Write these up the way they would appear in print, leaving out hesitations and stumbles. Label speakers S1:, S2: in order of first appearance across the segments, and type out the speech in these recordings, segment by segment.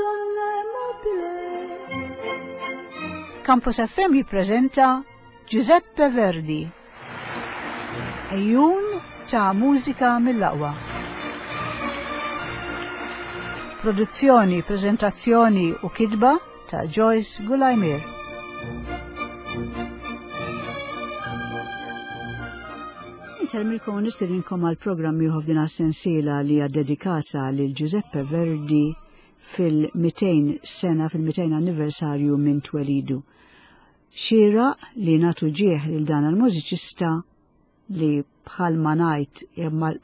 S1: Madonna mobile.
S2: Campus FM jippreżenta Giuseppe Verdi. Ejjun ta' mużika mill-aqwa. Produzzjoni, prezentazzjoni u kidba ta' Joyce Gulajmir. Insellmilkom u nistedinkom għal programm ieħor f'din sensiela li hija dedikata lil Giuseppe Verdi fil-200 sena fil-200 anniversarju minn twelidu. Xira li natu ġieħ lil dan il-mużiċista li bħalma ngħid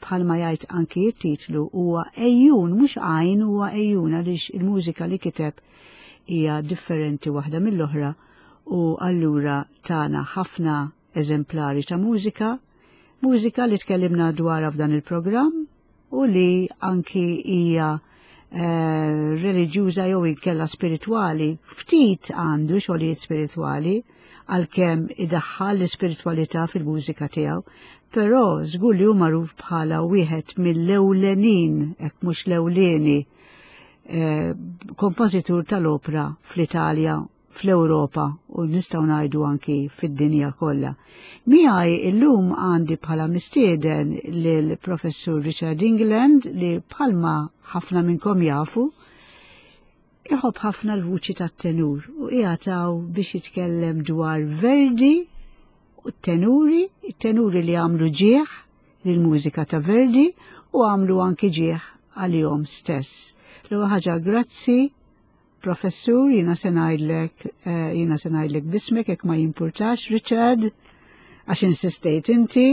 S2: bħalma jgħid anki t-titlu huwa ejjun mhux għajn huwa ejjun għaliex il-mużika li kiteb hija differenti waħda mill-oħra u allura tana ħafna eżemplari ta' mużika, mużika li tkellimna dwarha f'dan il-programm u li anki hija eh, reliġjuża jew inkella spiritwali, ftit għandu xogħlijiet spiritwali għalkemm idaħħal l-ispiritwalità fil-mużika tiegħu, però żgur li hu magħruf bħala wieħed mill-ewlenin, hekk mhux l-ewlieni, eh, kompożitur tal-opra fl-Italja fl-Ewropa u nistgħu ngħidu anki fid-dinja kollha. Miegħi illum għandi bħala mistieden lil Professur Richard England li bħalma ħafna minnkom jafu iħobb ħafna l-vuċi tat-tenur u qiegħataw biex jitkellem dwar Verdi u t-tenuri, it-tenuri li għamlu ġieħ lill-mużika ta' Verdi u għamlu anki ġieħ għalihom stess. L-ewwel ħaġa grazzi Professur, jina se ngħidlek, eh, jina se ngħidlek bismek jekk ma jimpurtax, Richard, għax insistejt inti.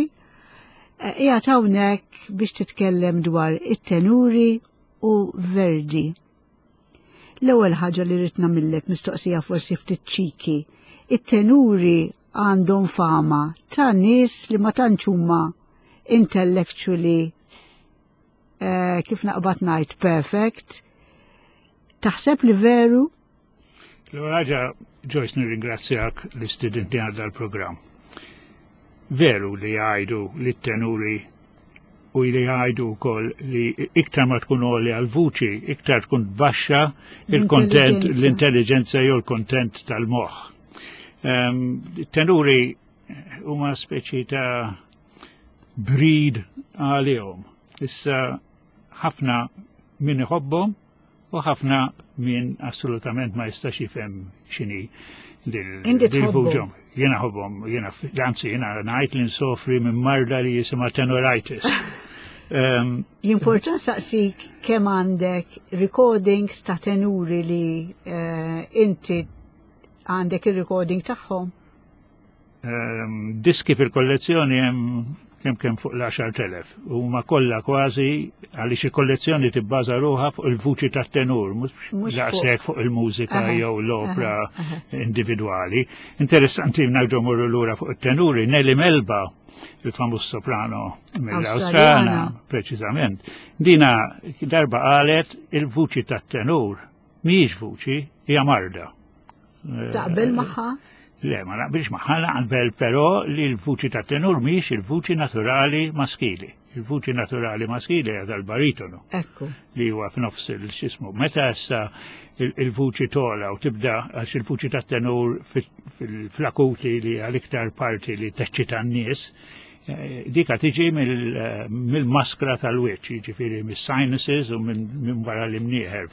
S2: Eh, qiegħed hawnhekk biex titkellem dwar it-tenuri u Verdi. L-ewwel ħaġa li rrid nagħmillek mistoqsija forsi ftit ċiki. It-tenuri għandhom fama ta' nies li ma tantx huma intellectually eh, kif naqbad ngħid perfect. Taħseb li veru?
S3: L-ewwel Joyce nirringrazzjak li stidintni għal dal-programm. Veru li jgħidu li t-tenuri u li jgħidu wkoll li iktar ma tkun għoli għal-vuċi, iktar tkun baxxa il-kontent, l-intelligenza jew l-kontent tal-moħħ. Ehm, tenuri huma speċi ta' breed għalihom. Issa ħafna min iħobbhom u ħafna min assolutament ma jistax jifhem x'inhi dil-vuġhom. Jiena ħobbhom, jiena anzi jiena ngħid li nsofri minn marda li jisimha tenoritis.
S2: Ehm, Jimporta saqsik kemm għandek recordings ta' tenuri li eh, inti għandek il-recording tagħhom?
S3: Ehm, diski fil-kollezzjoni hemm kemm kemm fuq l-10,000. Huma kollha kważi għaliex il-kollezzjoni tibbaża ruħha fuq il-vuċi tat-tenur, mhux daqshekk fuq il-mużika jew l-opra individwali. Interessanti nerġgħu morru lura fuq it-tenuri, Nelly Melba, il-famuż soprano mill-Awstrana, preċiżament. Dina darba qalet il-vuċi tat-tenur mhijiex vuċi, hija marda.
S2: Taqbel magħha?
S3: Le, ma naqbilx magħha, naqbel però li l-vuċi ta' tenur mhijiex il-vuċi naturali maskili. Il-vuċi naturali maskili hija tal-baritonu.
S2: Ekku.
S3: Li huwa f'nofs il-xismu. Meta issa il-vuċi tola u tibda għax il-vuċi ta' tenur fil-flakuti li għal-iktar parti li teċċita n-nies, Eh, dika tiġi eh, mill-maskra tal-wiċċ, jiġifieri mis-sinuses u minn wara l-imnieħer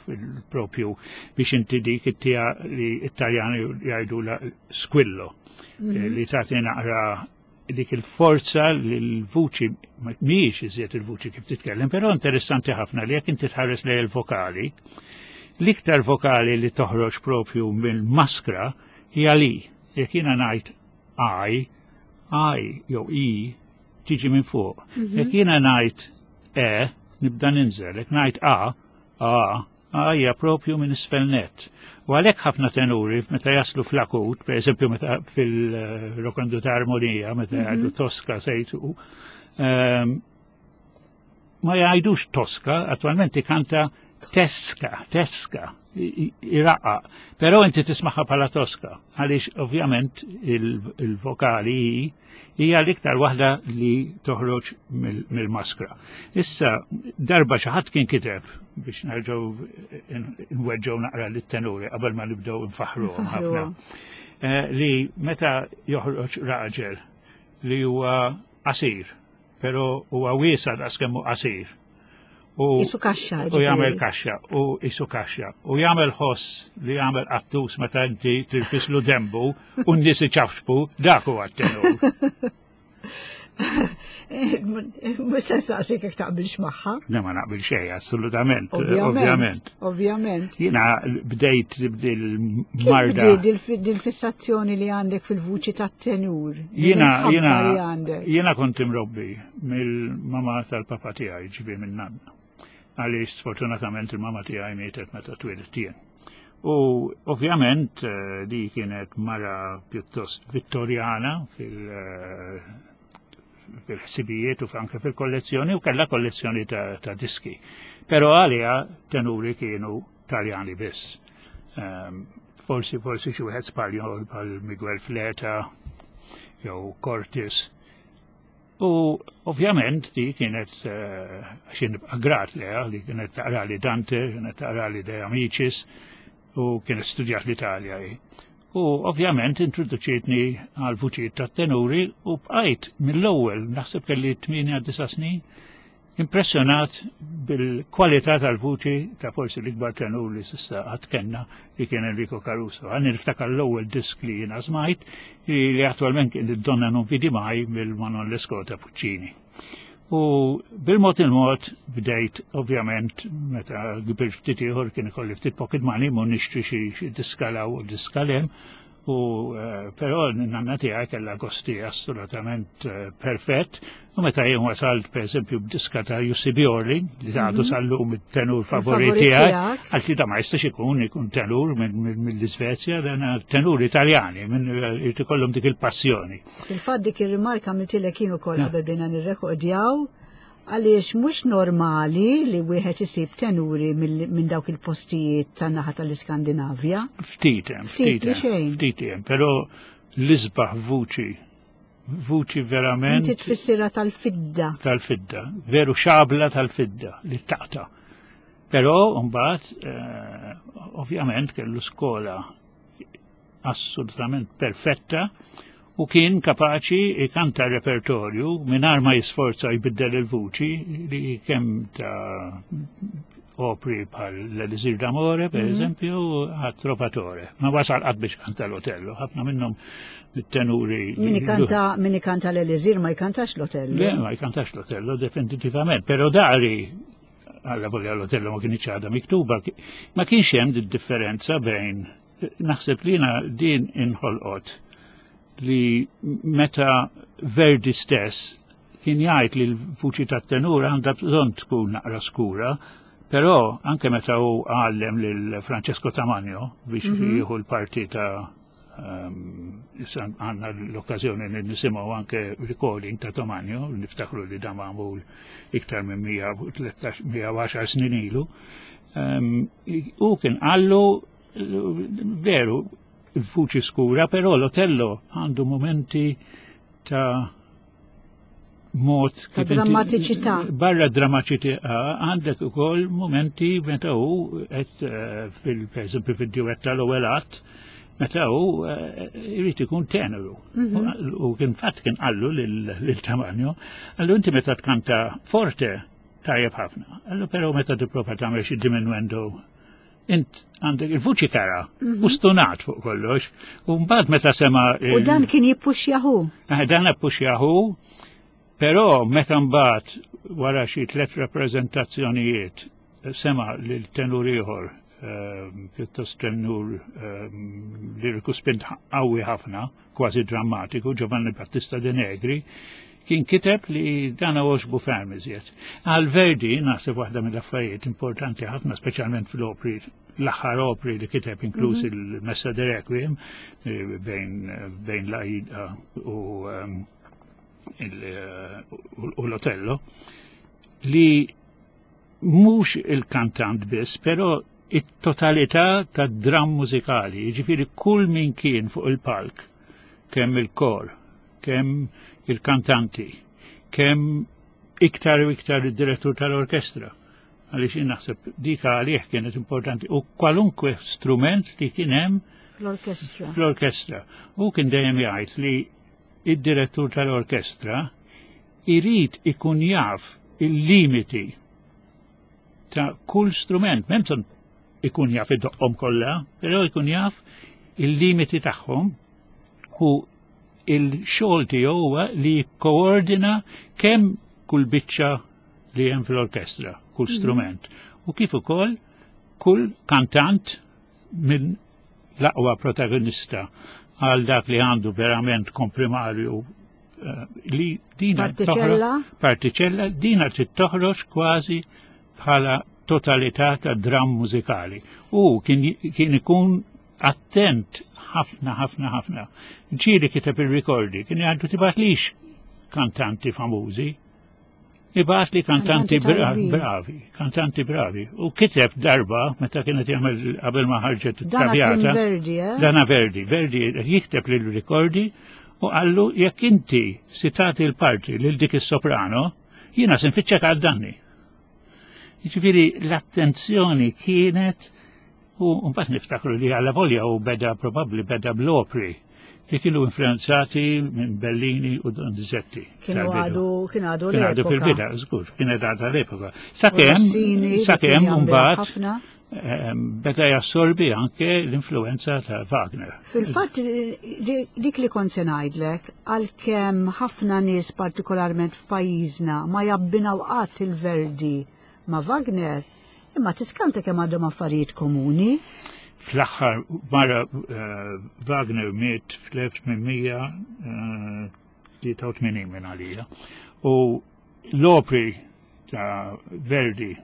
S3: propju biex inti dik it-tija li it-Taljani jgħidu la squillo, eh, mhm. li tagħti naqra dik il-forza li l-vuċi mhijiex iżjed il-vuċi kif titkellem, però interessanti ħafna li jekk inti tħares lej il-vokali, l-iktar vokali li toħroġ propju mill-maskra hija li jekk jiena ngħid I, I jew I tiġi minn fuq. Mhm. Jekk jiena ngħid E, nibda ninżel, jekk ngħid A, A, A hija propju minn isfel net. U għalhekk ħafna tenuri meta jaslu fl-akut, per eżempju meta fil-rokondu ta' armonija, meta mhm. jgħidu Tosca sejtu, ehm, ma jgħidux Tosca, attualment ikanta Teska, teska, iraqqa. Però inti tismaħħa bħala toska, għaliex ovvjament il-vokali hija l-iktar waħda li toħroġ mill-maskra. Issa, darba xi ħadd kien kiteb biex nerġgħu nweġġgħu naqra lit-tenuri qabel ma nibdew nfaħruhom ħafna. Eh, li meta joħroġ raġel li huwa qasir, però huwa wiesa' daqs kemm hu qasir.
S2: U Isu kaxxa.
S3: U jagħmel kaxxa, u isu kaxxa. U jagħmel ħoss li jagħmel qattus meta inti tirfislu dembu u n-nies iċafxbu, dak huwa t-tenur.
S2: Mhux se nsaqsik jekk taqbilx magħha.
S3: Le ma naqbil xejn, assolutament.
S2: Ovvjament. Ovvjament.
S3: Jiena bdejt bil-marda.
S2: Dil-fissazzjoni li għandek fil-vuċi tat-tenur.
S3: Jiena jiena jiena kont imrobbi mill-mama tal-papa tiegħi ġibi minn nanna. Għaliex sfortunatament il-mama tiegħi mietet meta twilidt jien. U ovvjament eh, di kienet mara pjuttost vittorjana fil- eh, fil-ħsibijiet u anke fil-kollezzjoni u kellha kollezzjoni ta', ta diski. Però għalija tenuri kienu Taljani biss. Um, forsi forsi xi wieħed Spanjol bħal Miguel Fleta jew Cortis. U ovvjament di kienet eh, għax nibqa' grat leha li kienet taqra li Dante, kienet taqra li De Amicis u kienet studjat l-Italja hi. U ovvjament introduċietni għal vuċijiet tat-tenuri u bqajt mill-ewwel naħseb kelli 8 snin Impressjonat bil-kwalità tal-vuċi ta' forsi l-ikbar tenur li s'issa qatt kellna li kien Enrico Caruso. Għan niftakar l-ewwel disk li jiena smajt li attwalment kien id-Donna non vidi mai mill-Manon Lescaut ta' Puccini. U bil-mod il-mod bdejt ovvjament meta kbirt ftit ieħor kien ikolli ftit pocket money mu nixtri xi diska law u diska lem U eh, però n-nanna tiegħi kellha gosti assolutament eh, perfett. U meta jien wasalt pereżempju b'diska ta' Jussi Bjorli, li għadu mhm. sal-lum it-tenur favorit tiegħi, għalt li da ma jistax ikun ikun tenur mill-Iżvezja, dan tenur Italjani, minn eh, ikollhom dik il-passjoni.
S2: Fil-fatt dik ir-rimarka għamiltilek jien ukoll qabel bdejna nirrekordjaw Għaliex mhux normali li wieħed isib tenuri minn dawk il-postijiet tan-naħa tal-Iskandinavja.
S3: Ftit hemm, ftit hemm, ftit hemm, però l-isbaħ vuċi, vuċi verament.
S2: Inti tfissirha tal-fidda.
S3: Tal-fidda, veru xabla tal-fidda li taqta. Però mbagħad eh, ovvjament kellu skola assolutament perfetta u kien kapaċi ikanta repertorju mingħajr ma jisforza jbiddel il-vuċi li kemm ta' opri bħal l-Elisir d'Amore, per mhm. eżempju, għat Trovatore. Ma wasal qatt biex kanta l-Otello, ħafna minnhom mit-tenuri.
S2: Min ikanta min ikanta l-Elisir ma jkantax l-Otello.
S3: Le, ma jkantax l-Otello definitivament, però dari għalla volja l-Otello ma kienx għadha miktuba, ma kienx hemm differenza bejn Naħseb li jiena din inħolqot li meta Verdi stess kien jgħid li l-vuċi tat-tenur għandha bżonn tkun naqra skura, però anke meta hu għallem lil Francesco Tamagno biex mhm. jieħu l-parti ta' ehm, issa għandna l-okkażjoni li nisimgħu anke recording ta' Tamagno, niftakru li dan magħmul iktar minn 110 snin ilu. Ehm, u kien qallu Veru, il-fuċi skura, però l-Otello għandu momenti ta' mod
S2: ta' drammatiċità.
S3: Barra drammatiċità għandek ukoll momenti meta hu qed eh, fil-pereżempju fid-duett tal-ewwel att meta hu eh, irid ikun teneru. Mhm. U kien fatt kien qallu lil Tamanjo, qallu inti meta tkanta forte tajjeb ħafna. Qallu però meta tipprova tagħmel xi diminuendo int għandek il-vuċi tara, mhm. u stunat fuq kollox, u mbagħad meta sema.
S2: U dan kien jippuxjahu.
S3: Eh, dan jippuxjahu, però meta mbagħad wara xi tliet rappreżentazzjonijiet sema lil tenur ieħor eh, pjuttost tenur eh, liriku spint qawwi ħafna, kważi drammatiku, Giovanni Battista De Negri, kien kiteb li dan għoġbu ferm iżjed. Għal Verdi, naħseb waħda mill-affarijiet importanti ħafna, speċjalment fl-opri, l-aħħar opri li kiteb inkluż mhm. il-Messa de Requiem eh, bejn, bejn l-Aida u ehm, eh, u l-Otello, li Mhux il-kantant biss, però it-totalità tad-dramm mużikali, jiġifieri kull min kien fuq il-palk, kemm il-kor, kemm il-kantanti, kemm iktar u iktar id-direttur tal-orkestra. Għaliex jien naħseb dik għalih kienet importanti u kwalunkwe strument li kien hemm
S2: fl-orkestra.
S3: Fl-orkestra. U kien dejjem jgħid li id-direttur tal-orkestra irid ikun jaf il-limiti ta' kull strument, m'hemm bżonn ikun jaf id-doqqhom kollha, però ikun jaf il-limiti tagħhom u il-xogħol tiegħu huwa li jikkoordina kemm kull biċċa li hemm fl-orkestra, kull strument, u kif ukoll kull kantant minn l-aqwa protagonista għal dak li għandu verament komprimarju eh, li dina
S2: Partiċella?
S3: partiċella dina trid toħroġ kważi bħala totalità ta' dramm mużikali. U kien, kien ikun attent ħafna, ħafna, ħafna. Ġieli kiteb il-rikordi, kien jgħidu tibgħatlix kantanti famużi, ibgħat li kantanti bravi, kantanti bravi. U kiteb darba, meta kienet jagħmel qabel ma ħarġet
S2: it-Traviata. Verdi, eh?
S3: Dana Verdi, Verdi jikteb lil rikordi u qallu jekk inti sitati l-parti lil dik is-soprano, jiena se nfittxek għal danni. Jiġifieri l-attenzjoni kienet u mbagħad niftakru li għalla volja u beda probabbli beda bl-opri li kienu influenzati minn Bellini u Donizetti.
S2: Kienu għadu, kienu għadu l-epoka.
S3: Kienu għadu fil-bida, żgur, kienet għadha l-epoka. Sakemm, sakemm mbagħad beda jassorbi anke l-influenza ta' Wagner.
S2: Fil-fatt dik li kont se ngħidlek, għalkemm ħafna nies partikolarment f'pajjiżna ma jabbinaw qatt il-Verdi ma' Wagner, imma tiskanta kemm għandhom affarijiet komuni.
S3: Fl-aħħar mara eh, Wagner miet fl-1883 minn għalija. U l-opri ta' Verdi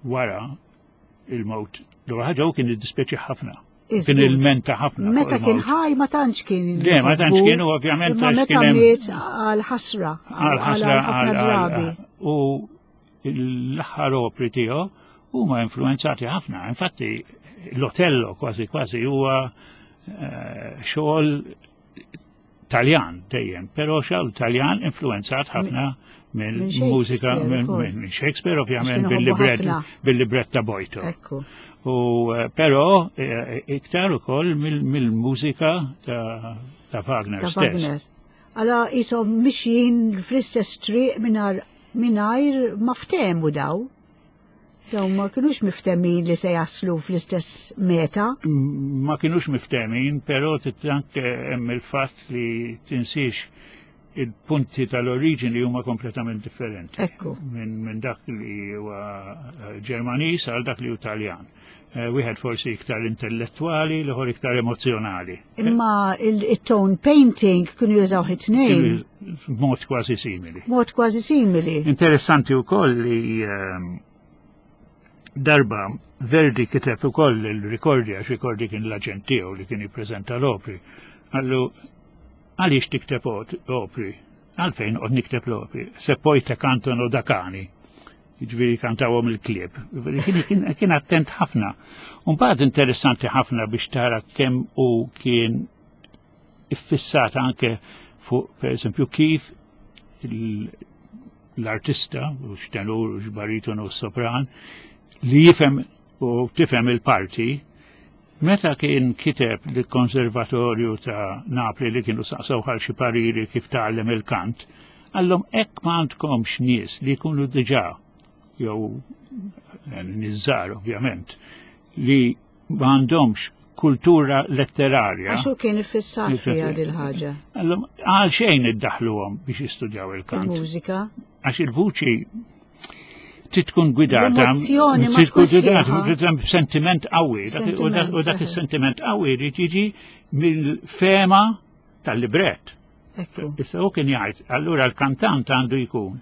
S3: wara il-mewt. L-ewwel ħaġa hu kien iddispjaċi ħafna. Kien il-menta ħafna.
S2: Meta kien ħaj ma tantx kien.
S3: Le, ma tantx kien u ovvjament.
S2: Imma meta miet għal ħasra.
S3: Għal ħasra għal drabi. U l-aħħar opri tiegħu huma influenzati ħafna. Infatti l-Otello kważi kważi huwa eh, xogħol Taljan dejjem, però xogħol Taljan influenzat ħafna mill-mużika minn Shakespeare ovvjament bil-libret ta' Boito. U eh, però eh, iktar ukoll mill-mużika ta' Wagner.
S2: Ta' Wagner. Alla jisom mixjin fl-istess triq mingħajr ma ftehmu daw. Daw ma kienux miftemin li se jaslu fl-istess meta.
S3: Ma kienux miftemin, però anke hemm il-fatt li tinsiex il-punti tal-oriġini huma kompletament differenti.
S2: Ekku.
S3: Minn dak li huwa eh, Ġermaniż għal dak li hu Taljan. Eh, wieħed forsi iktar intellettwali, l-ieħor iktar emozjonali.
S2: Imma il-tone painting kienu jużaw it-tnejn.
S3: Mod kważi simili.
S2: Mod kważi simili.
S3: Interessanti wkoll li ehm, darba Verdi kiteb ukoll il-rikordi għax rikordi kien l-aġent tiegħu li kien jippreżenta l-opri. Qallu għaliex tikteb opri? Għalfejn qed nikteb l-opri? Se poi te cantano da cani. Jiġifieri kantawhom il-klieb. Kien attent ħafna. Mbagħad interessanti ħafna biex tara kemm u kien iffissat anke fuq pereżempju kif l-artista, u x'tenur, u x'baritonu, u sopran, li jifhem u tifhem il-parti, meta kien kiteb lill-Konservatorju ta' Napli li kienu saqsew għal xi pariri kif tgħallem il-kant, qallhom hekk ma għandkomx nies li jkunu diġà jew eh, nies żgħar ovvjament li ma għandhomx kultura letterarja.
S2: Għax hu kien iffissat fiha dil-ħaġa.
S3: Għal xejn iddaħluhom biex jistudjaw il-kant.
S2: Il-mużika.
S3: Għax il-vuċi trid tkun gwidata.
S2: L-emozzjoni ma tkun
S3: gwidata sentiment qawwi. U dak is-sentiment qawwi jrid jiġi mill-fema tal-libret. Issa hu kien jgħid, allura l-kantant għandu jkun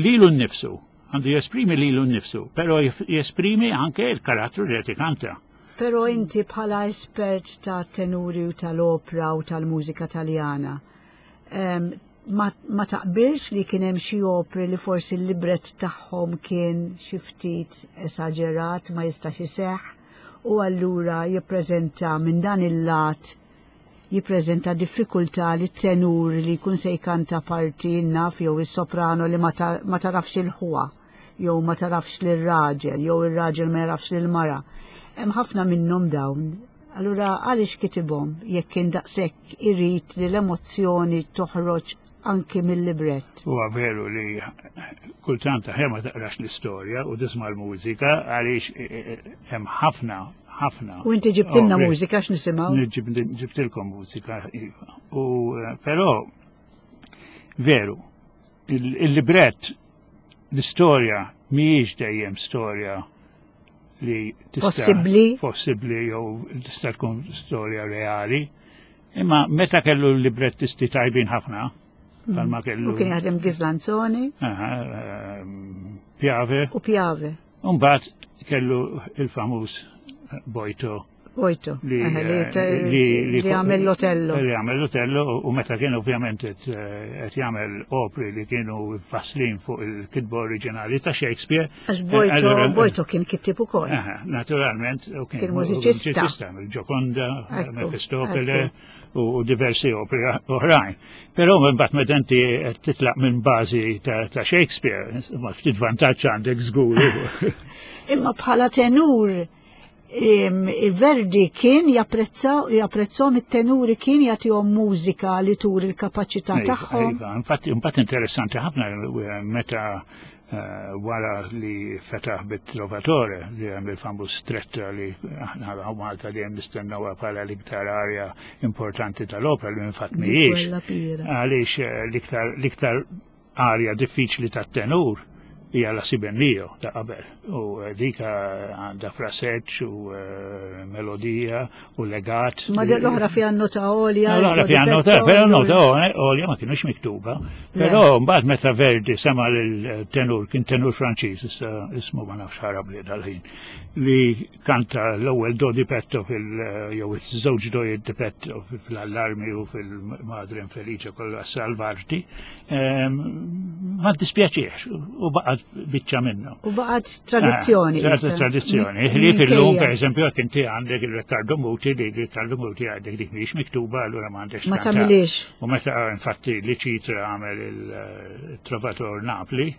S3: lilu nnifsu, għandu jesprimi lilu nnifsu, però jesprimi anke il-karattru li qed ikanta.
S2: Però inti bħala espert ta' tenuri u tal-opra u tal-mużika taljana, Ma, ma taqbilx li kien hemm xi opri li forsi l-libret tagħhom kien xi ftit esaġerat ma jistax iseħħ u allura jippreżenta minn dan il-lat jippreżenta diffikultà li t-tenur li jkun se jkanta parti naf jew is-soprano li ma tarafx il-ħwa jew ma tarafx lir-raġel jew ir-raġel ma jarafx lil-mara. Hemm ħafna minnhom dawn. Allura għaliex kitibhom jekk kien daqshekk irid li l-emozzjoni toħroġ anki mill-librett?
S3: Huwa veru li kultant aħjar ma taqrax l-istorja u tisma' l-mużika għaliex eh, eh, hemm ħafna ħafna.
S2: U inti ġibtilna mużika x'nisimgħu?
S3: Ġibtilkom mużika, iva. U eh, però veru, il-librett l-istorja mhijiex dejjem storja li
S2: tista' possibbli
S3: possibbli jew tista' tkun storja reali. Imma meta kellu l-librettisti tajbin ħafna,
S2: mm. kellu. U kien jaħdem Ghislanzoni.
S3: Piave.
S2: U Piave.
S3: Mbagħad kellu il-famuż Bojto.
S2: Bojto. Li eh, għamel l-Otello.
S3: Li għamel l-Otello u meta kien ovvjament qed eh, jagħmel opri li kienu faslin fuq il-kitba oriġinali ta' Shakespeare.
S2: Għax eh, Bojto, Bojto kien kittib ukoll.
S3: Naturalment,
S2: kien mużiċista.
S3: Il-Gioconda, Mefistofele u diversi opri oħrajn. Però mbagħad meta inti qed titlaq minn bażi ta' Shakespeare, ma ftit vantaġġ għandek żgur.
S2: Imma bħala tenur Verdi kien japprezza japprezzhom it-tenuri kien jagħtihom mużika li turi l-kapaċità iva, tagħhom.
S3: Iva, infatti imbagħad interessanti ħafna eh, meta eh, wara li fetaħ bit-Trovatore li hemm il-famuż stretta li aħna Malta li hemm nistennewha bħala l-iktar arja importanti tal-opera li infatti mhijiex. Għaliex eh, l-iktar Arja diffiċli tat-tenur hija la si ben mio ta' qabel u eh, dik eh, għandha fraseġġ u eh, melodija u legat.
S2: Ma l-oħra fiha nota għolja.
S3: L-oħra fiha nota, però nota għolja ma kienux miktuba. Però mbagħad meta Verdi sema lil-tenur, kien tenur Franċiż, issa ismu ma nafx ħarab li dal-ħin, li Kanta l-ewwel do di petto fil jew iż-żewġ dojiet di petto fl-allarmi u fil-Madre Infelice kollha salvarti. Ehm, ma dispjaċiex u baqgħet biċċa minnu.
S2: U baqgħet tradizzjoni.
S3: Ah, tradizzjoni. Li fil-lum, per eżempju, jekk inti għandek il-Riccardo Muti, li Riccardo Muti għandek dik mhijiex miktuba, allura ma għandekx.
S2: Ma tagħmilix.
S3: U meta infatti li ċitra għamel il-Trovator Napli,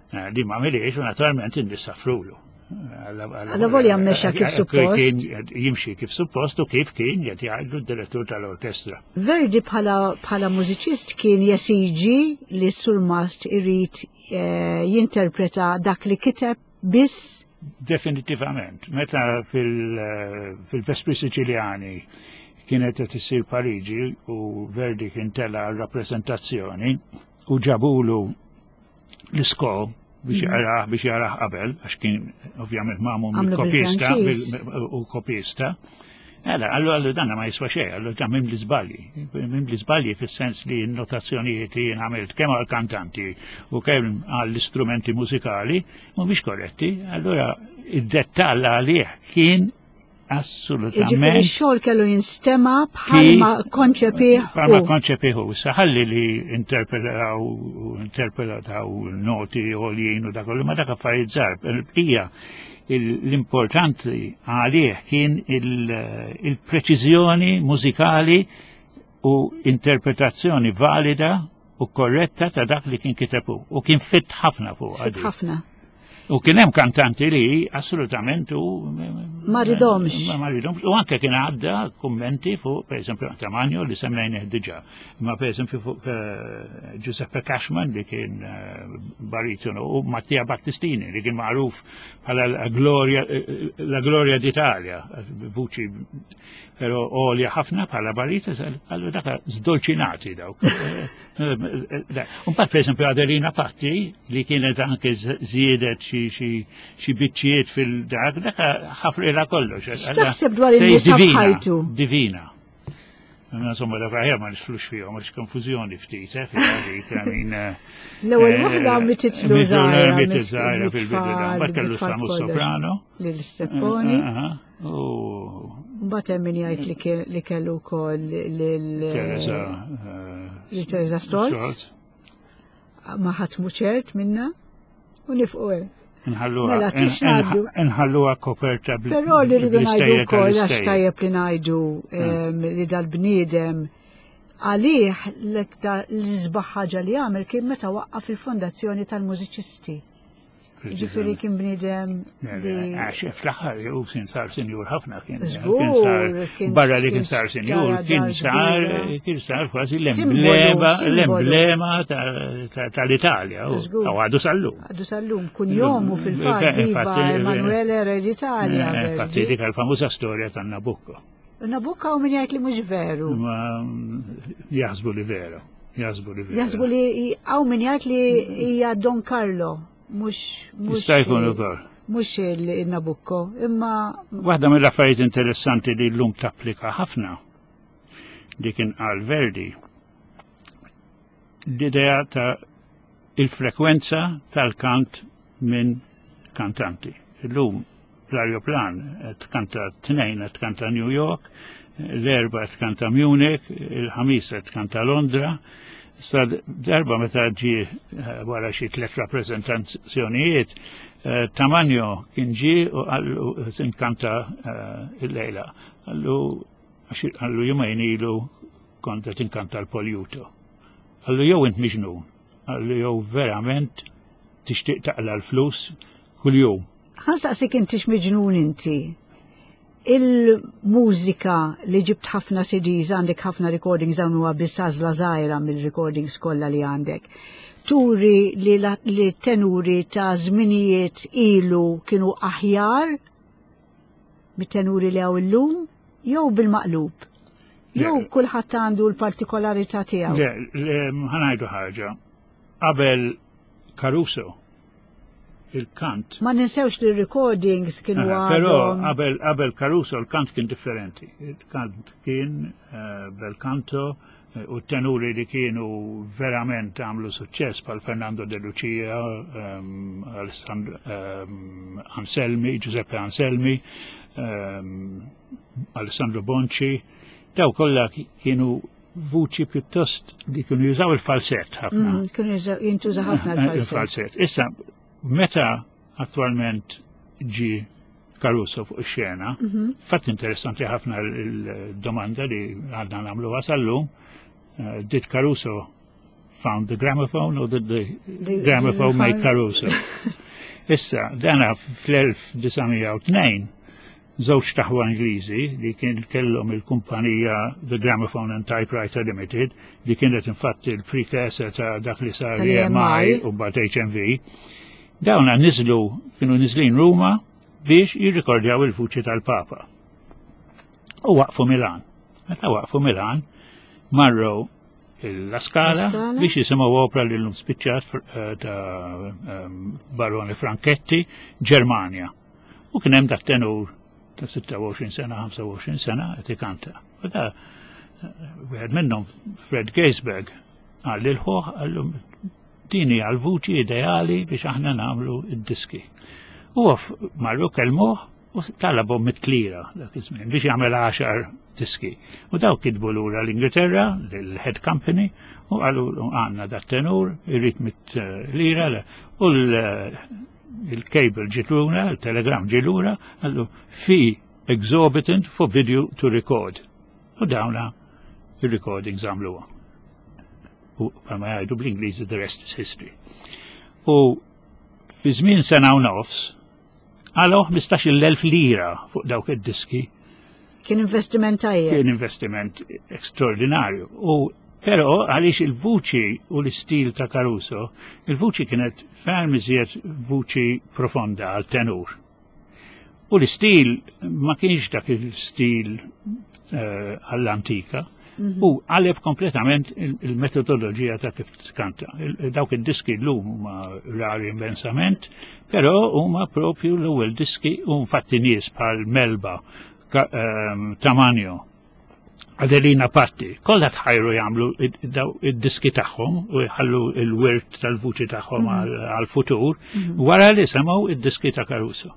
S3: Eh, li ma għamiliex u naturalment in-nies safrulu.
S2: Għalla volja mexa kif suppost.
S3: Jimxi kif suppost u kif kien qed jgħidu d-direttur tal-orkestra.
S2: Verdi bħala mużiċist kien jesiġi li surmast irid eh, jinterpreta dak li kiteb biss.
S3: Definitivament, meta eh, fil-Vespri Siċiljani kienet qed issir Pariġi u Verdi kien tela rappreżentazzjoni u ġabulu l-isko biex mhm. jarah biex jarah qabel, għax kien ovvjament mamu mill-kopista u kopista. Għalla, għallu għallu danna ma jiswa xej, għallu ta' mim li zbalji. Mim li zbalji fil-sens li n-notazzjonijiet li jien għamilt kemm għal-kantanti u kemm għall-istrumenti mużikali mhumiex korretti, allura id-dettall għalih kien Assolutament.
S2: Ġifieri x-xogħol kellu jinstema bħalma konċepih.
S3: Bħalma konċepih. Saħalli li interpretaw interpretaw noti għoljin u dak kollu, ma dak affarijiet żgħar. Hija l-importanti għalih kien il-preċiżjoni mużikali u interpretazzjoni valida u korretta ta' dak li kien kiteb hu. U kien fit ħafna fuq.
S2: Fit ħafna.
S3: U kien hemm kantanti li assolutament u
S2: ma ridomx.
S3: Ma ridomx. U anke kien għadda kummenti fuq, per eżempju, Tamanjo li semmejnih diġà. Ma per eżempju fuq eh, Giuseppe Cashman li kien eh, baritonu u Mattia Battistini li kien magħruf bħala la gloria eh, la gloria d'Italia, vuċi Pero għolja ħafna bħala barita, għallu daka zdolċinati dawk. Unbat, per esempio, Adelina Patti, li kienet anke ziedet xi biċċijiet fil-dak, daka ħafrila kollox.
S2: X'taħseb dwar in-nisa f'ħajtu?
S3: Divina. Insomma, dak aħjar ma nixflux fihom, għax konfużjoni ftit, eh, fil-dik,
S2: għamin. Eh, L-ewwel eh, waħda mititlu żgħira.
S3: Mitit żgħira fil-bidu, mbagħad kellu Samu Soprano.
S2: Lil Strepponi. U mbagħad hemm min jgħid li kellu wkoll lil Teresa eh, Teresa Stolz. Ma ħadd ċert minna u nifqu hemm.
S3: Mela, nħalluha koperta
S2: bl Però li rridu ngħidu wkoll għax tajjeb li ngħidu hmm. li dal-bniedem għalih l-iktar l-isbaħ ħaġa li għamel kien meta waqqaf il-fondazzjoni tal-mużiċisti. Ġifiri kien bniedem
S3: li. Għax fl-aħħar u kien sar sinjur ħafna kien. Żgur. Barra li kien sar sinjur, kien sar kien sar kważi l-emblema l-emblema tal-Italja. U għadu sal-lum.
S2: Għadu sal-lum, kun jomu fil-fatt viva Emanuele Re d'Italia.
S3: Eh, infatti dik il-famuża storja tan-Nabucco.
S2: Nabucco u min jgħid li mhux veru.
S3: Jaħsbu li veru. Jaħsbu li veru.
S2: Jaħsbu li hawn min jgħid li hija Don Carlo mhux mhux.
S3: Jista' jkun ukoll.
S2: Mhux il-Nabucco, imma.
S3: Waħda mill-affarijiet interessanti li llum tapplika ħafna li kien qal Verdi l-idea ta' il-frekwenza tal-kant minn kantanti. Illum l-arjoplan tkanta t-tnejn tkanta New York, l-erba tkanta Munich, il-ħamis tkanta Londra. Sa darba meta ġi eh, wara xi tliet rappreżentazzjonijiet, eh, Tamanjo kien ġi u qallu inkanta eh, il-lejla. Qallu qallu jumejn ilu kont qed inkanta l-Poljuto. Qallu jew int miġnun, qallu jew verament tixtieq taqla l-flus kuljum.
S2: Ħa nsaqsik intix miġnun inti. Il-mużika li ġibt ħafna CDs, għandek ħafna recordings dawn huwa biss għażla żgħira mill-recordings kollha li għandek. Turi li, li tenuri ta' żminijiet ilu kienu aħjar mit-tenuri li hawn illum jew bil-maqlub? Jew kulħadd għandu l-partikolarità tiegħu?
S3: Le, ħanajdu ħaġa. Qabel Caruso il-kant.
S2: Ma ninsewx li recordings kienu
S3: eh, Però qabel qabel Caruso l-kant kien differenti. Il-kant kien eh, bel canto eh, u tenuri li kienu verament għamlu suċċess pal Fernando De Lucia, ehm, ehm, Anselmi, Giuseppe Anselmi, ehm, Alessandro Bonci, daw kollha kienu vuċi pjuttost li kienu jużaw il-falsett ħafna.
S2: Mm, kienu jintuża ħafna eh, il-falsett.
S3: Issa, meta attualment ġi Caruso fuq ix-xena, mhm. fatt interessanti ħafna l-domanda li għadna nagħmlu sal-lum, eh, did Caruso found the gramophone or did the, the gramophone make Caruso? Issa, dana fl-1902 żewġ taħwa Ingliżi li kien kellhom il-kumpanija The Gramophone and Typewriter Limited li kienet infatti il-precursor ta' dak li sar EMI u mbagħad HMV. Dawna niżlu kienu niżlin Ruma biex jirrikordjaw il-vuċi tal-Papa. U waqfu Milan. Meta waqfu Milan, marru la Scala biex jisimgħu opera li l-lum spiċċat eh, ta' ehm, Barone Franchetti, Ġermanja. U kien hemm dak tenur ta' 26 sena, 25 sena qed ikanta. U da wieħed minnhom Fred Geisberg qal lil ħuh qallu din hija l-vuċi ideali biex aħna nagħmlu d-diski. U marru kellmuh u talabhom mit-tlira dak iż-żmien biex jagħmel 10 diski. U daw kitbu lura l-Ingilterra, l-head company, u qalu għandna dat tenur, irrid mit-lira, u l il-cable ġiet lura, il-telegram ġie lura, għallu fee exorbitant for video to record. U dawna il-recordings għamluha. U bħalma jgħidu bl-Ingliż the rest is history. U fi żmien sena u nofs, għalaw 15,000 lira fuq dawk id-diski.
S2: Kien investiment tajjeb.
S3: Kien investiment ekstraordinarju. U però għaliex il-vuċi u l-istil ta' Caruso, il-vuċi kienet ferm iżjed vuċi profonda għal tenur. U l-istil ma kienx dak il-stil eh, għall-antika. Mhm. U għaleb kompletament il-metodoloġija ta' kif tkanta. Dawk id-diski l-lum huma rari immensament, però huma propju l-ewwel diski u infatti nies bħal Melba, ehm, Tamanjo, Adelina Patti, kollha tħajru jagħmlu id-diski tagħhom u jħallu l-wirt tal-vuċi tagħhom mhm. għal-futur mhm. wara li semgħu id-diski ta' Caruso.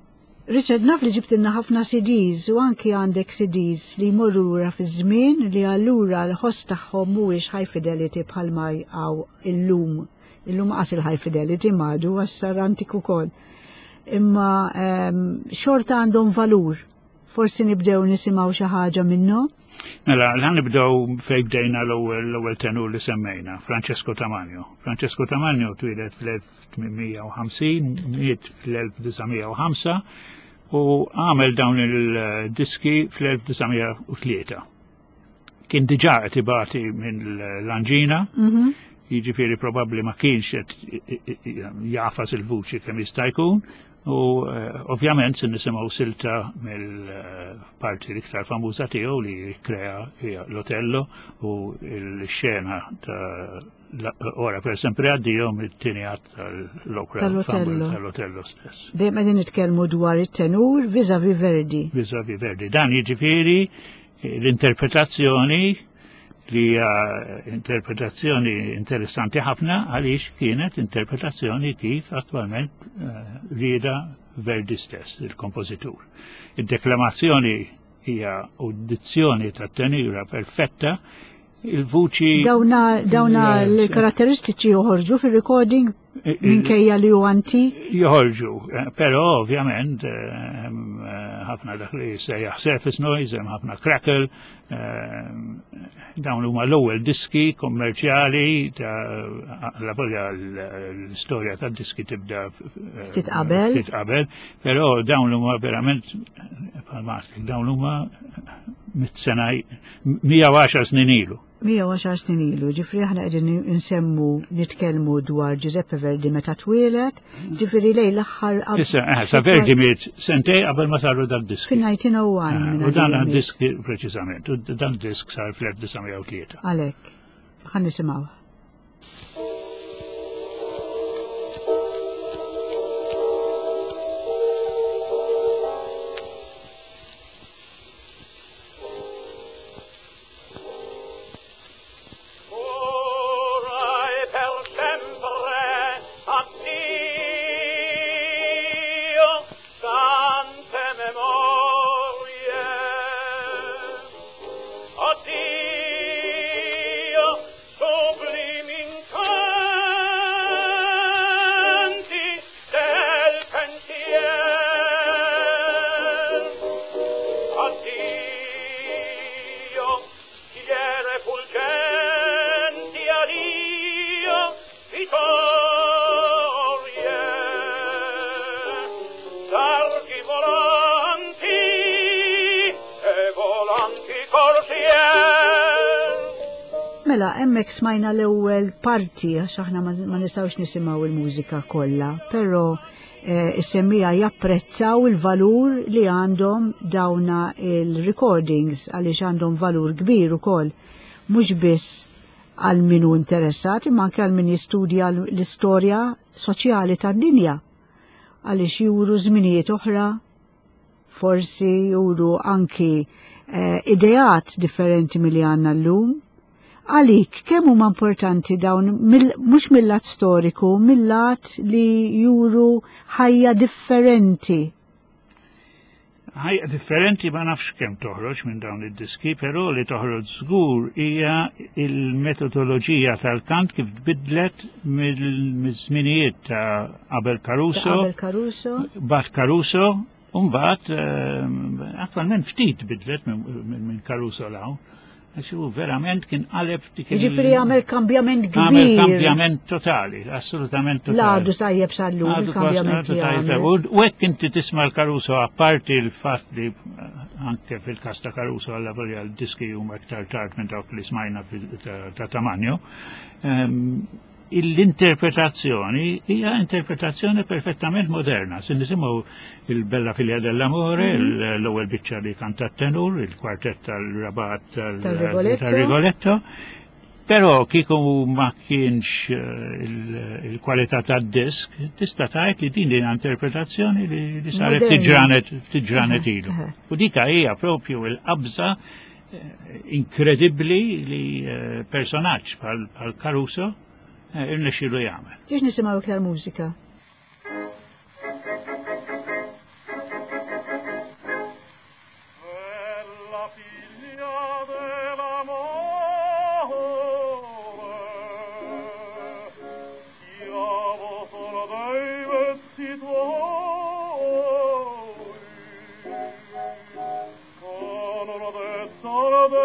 S2: Richard, naf li ġibtilna ħafna CDs u anki għandek CDs li jmorru lura fiż-żmien li allura l-ħoss tagħhom mhuwiex high fidelity bħalma hawn illum. Illum qas il-high fidelity madu għax sar antik ukoll. Imma xorta għandhom valur. Forsi nibdew nisimgħu xi ħaġa minnhom.
S3: Mela, l nibdew fejn bdejna l-ewwel tenur li semmejna, Francesco Tamagno. Francesco Tamagno twieled fl-1850, miet fl-1905 u għamel dawn il-diski fl-1903. Kien diġà qed ibati minn l-anġina, jiġifieri probabbli ma kienx qed jafas il-vuċi kemm jista' jkun, u ovvjament se nisimgħu silta mill-parti l-iktar famuża tiegħu li krea hija l-Otello u l-xena ta' Ora per sempre addio mit-tieni att tal-opera
S2: Tal-Otello.
S3: tal-Otello stess.
S2: Dejjem qegħdin nitkellmu dwar it-tenur vis-à-vis Verdi.
S3: Vis-à-vis Verdi. Dan jiġifieri l-interpretazzjoni li hija interpretazzjoni interessanti ħafna għaliex kienet interpretazzjoni kif attualment rieda Verdi stess, il-kompożitur. Id-deklamazzjoni hija uddizzjoni tat-tenura perfetta, il-vuċi
S2: Dawna l-karatteristiċi joħorġu fil-recording minkejja li hu antik.
S3: Joħorġu, però ovvjament hemm ħafna dak li sejjaħ surface noise, hemm ħafna crackle, dawn huma l-ewwel diski kommerċjali ta' la volja l-istorja tad-diski tibda
S2: Ftit qabel.
S3: Ftit qabel, però dawn huma verament bħal dawn huma mit sena 110 snin ilu.
S2: 110 snin ilu, ġifri aħna qegħdin nsemmu nitkellmu dwar Giuseppe Verdi meta twieled, ġifri lej l-aħħar
S3: Issa, sa Verdi miet sentej qabel ma saru dal-diski.
S2: Fin-1901.
S3: U dan disk preċiżament, u dan disk sar fl-1903.
S2: Għalhekk, ħa nisimgħu.
S1: Ora e per sempre addio, tante memorie. Addio, sublimi incanti del pensier. Addio, schiere fulgenti, addio, vittorie. Targhi volanti e volanti corsier.
S2: Mela, hemmhekk smajna l-ewwel parti, għax aħna ma nistgħux nisimgħu il-mużika kollha, però is-semmija japprezzaw il-valur li għandhom dawna il-recordings għaliex għandhom valur kbir ukoll, mhux biss għal min hu interessat, imma anke għal min jistudja l-istorja soċjali tad-dinja, għaliex juru żminijiet oħra, forsi juru anki ideat differenti milli għandna llum. Għalik, kemm huma importanti dawn, mhux mill-lat storiku, mill-lat li juru ħajja differenti?
S3: Ħajja differenti ma nafx kemm toħroġ minn dawn id-diski, però li toħroġ żgur hija il-metodoloġija tal-kant kif tbidlet mill-żminijiet ta' qabel Caruso,
S2: Ta' qabel Caruso.
S3: Bat Caruso, u mbagħad attwalment ftit bidlet minn Caruso law. Għax hu verament kien qaleb dik il-
S2: Jiġifieri għamel kambjament
S3: Għamel
S2: kbir.
S3: kambjament totali, assolutament totali.
S2: L-għadu tajjeb sal-lum,
S3: Għadu
S2: il-kambjament
S3: kważi
S2: li
S3: tajjeb.
S2: għamel.
S3: U hekk inti tisma' l-Caruso, apparti l-fatt li anke fil-każ ta' Caruso għalla volja l-diski huma iktar tard minn dawk li smajna ta' Tamagno, l-interpretazzjoni hija interpretazzjoni perfettament moderna. Se nisimgħu il-Bella Figlia dell'Amore, l-ewwel biċċa li kanta tenur, il-kwartett tal-Rabat
S2: Tal-Rigoletto.
S3: tal-Rigoletto. Però kieku ma kienx il-kwalità tad-disk, tista' tgħid li din hija interpretazzjoni li saret
S2: Moderna.
S3: ftit ġranet ilu. U dika hija propju l-qabża inkredibbli li personaġġ bħal Caruso irnexxielu jagħmel.
S2: Tix nisimgħu iktar mużika?
S1: Bella figlia dell'amore,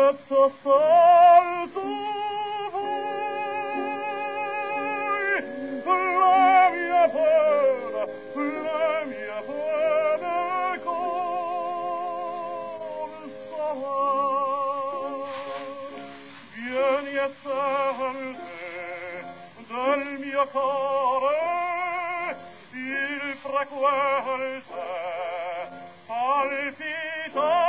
S1: detto sol tu voi la mia pena, la mia pena consolar. Vieni e sente del mio cuore il frequente palpitare.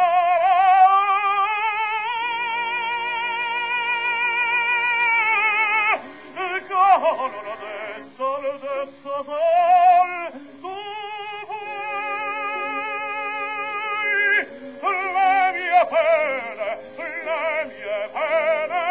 S1: Con l'ho detto, l'ho detto sol tu vuoi le mie pene, le mie pene